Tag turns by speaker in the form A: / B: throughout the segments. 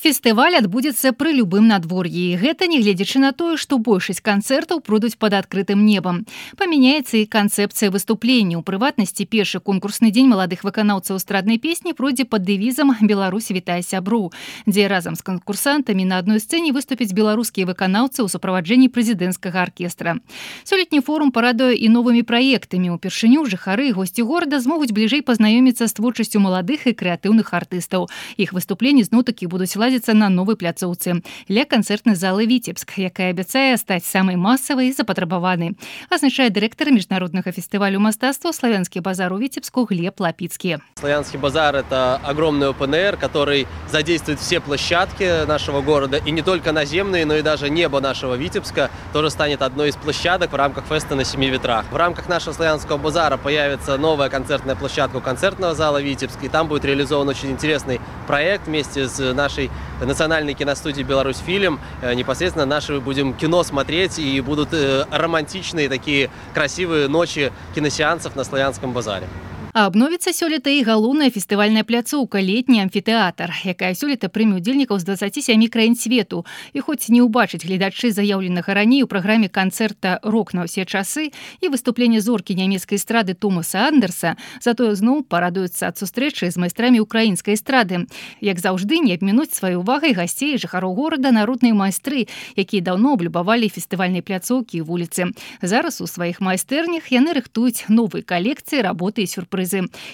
A: Фестываль адбудзецца пры любым надвор'і. Гэта нягледзячы на тое, што большасць канцэртаў пройдуць пад адкрытым небам. Памяняецца і канцэпцыя выступлення. У прыватнасці, першы конкурсны дзень маладых выканаўцаў эстраднай песні пройдзе пад дэвізам «Беларусь вітае сяброў», дзе разам з канкурсантамі на адной сцэне выступяць беларускія выканаўцы ў суправаджэнні прэзідэнцкага аркестра. Сёлетні форум парадуе і новымі праектамі. Упершыню жыхары і госці горада змогуць бліжэй пазнаёміцца з творчасцю маладых і крэатыўных артыстаў. Іх выступленні зноў-такі будуць ладзіцца на новой пляцоўцы ля канцэртнай залы «Віцебск», якая абяцае стаць самай масавай і запатрабаванай, азначае дырэктар міжнароднага фестывалю мастацтва «Славянский базар» у Витебску Глеб Лапицкий.
B: Славянский базар – это огромный ОПНР, который задействует все площадки нашего города, и не только наземные, но и даже небо нашего Витебска тоже станет одной из площадок в рамках феста на 7 ветрах. В рамках нашего Славянского базара появится новая концертная площадка у концертного зала «Витебск», и там будет реализован очень интересный проект вместе с нашей национальной киностудии «Беларусьфильм». Непосредственно наши будем кино смотреть, и будут романтичные такие красивые ночи киносеансов на Славянском базаре.
A: А абновіцца сёлета і галоўная фестывальная пляцоўка «Летні амфітэатр», якая сёлета прыме ўдзельнікаў з 27 краін свету. І хоць не ўбачыць гледачы заяўленага раней у праграме канцэрта «Рок на ўсе часы» і выступлення зоркі нямецкай эстрады Томаса Андерса, затое зноў парадуюцца ад сустрэчы з майстрамі украінскай эстрады. Як заўжды, не абмінуць сваёй увагай гасцей і жыхароў горада народныя майстры, якія даўно аблюбавалі фестывальнай пляцоўкі і вуліцы. Зараз у сваіх майстэрнях яны рыхтуюць новыя калекцыі, работы і сюрпрызы.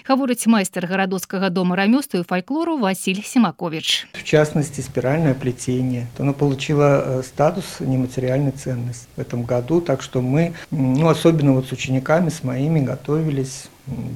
A: Говорит майстер Городоцкого дома ремёству и фольклору Василий Симакович.
C: В частности, спиральное плетение. Оно получило статус нематериальной ценности в этом году, так что мы, особенно вот с учениками, с моими, готовились,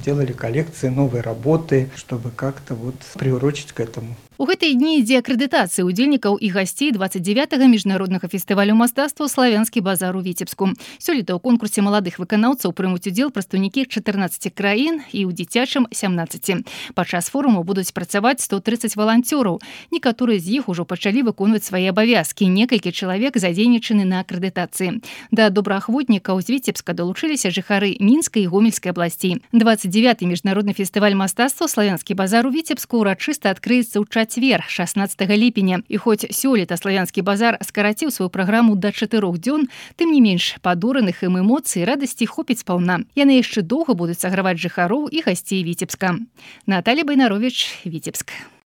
C: делали коллекции, новые работы, чтобы как-то вот приурочить к этому.
A: У гэтыя дні ідзе акрэдытацыя ўдзельнікаў і гасцей 29-го міжнароднага фестывалю мастацтва «Славянский базар» у Витебску. Сёлета ў конкурсе маладых выканаўцаў прымуць удзел прадстаўнікі 14 краін і ў дзіцячым 17. Падчас форуму будуць працаваць 130 валанцёраў. Некаторыя з іх ужо пачалі выконваць свае абавязкі. Некалькі чалавек задзейнічаны на акрэдытацыі. Да добраахвотнікаў з Витебска далучыліся жыхары Мінскай і Гомельскай абласцей. 29-й міжнародны фестываль мастацтва «Славянский базар» у Витебску урачыста адкрыецца ў чацвер, 16 ліпеня. І хоць сёлета «Славянский базар» скараціў сваю праграму да 4 дзён, тым не менш падораных ім эмоцый і радасці хопіць спаўна. Яны яшчэ доўга будуць саграваць жыхароў і гасцей Витебска. Наталья Байнарович, Витебск.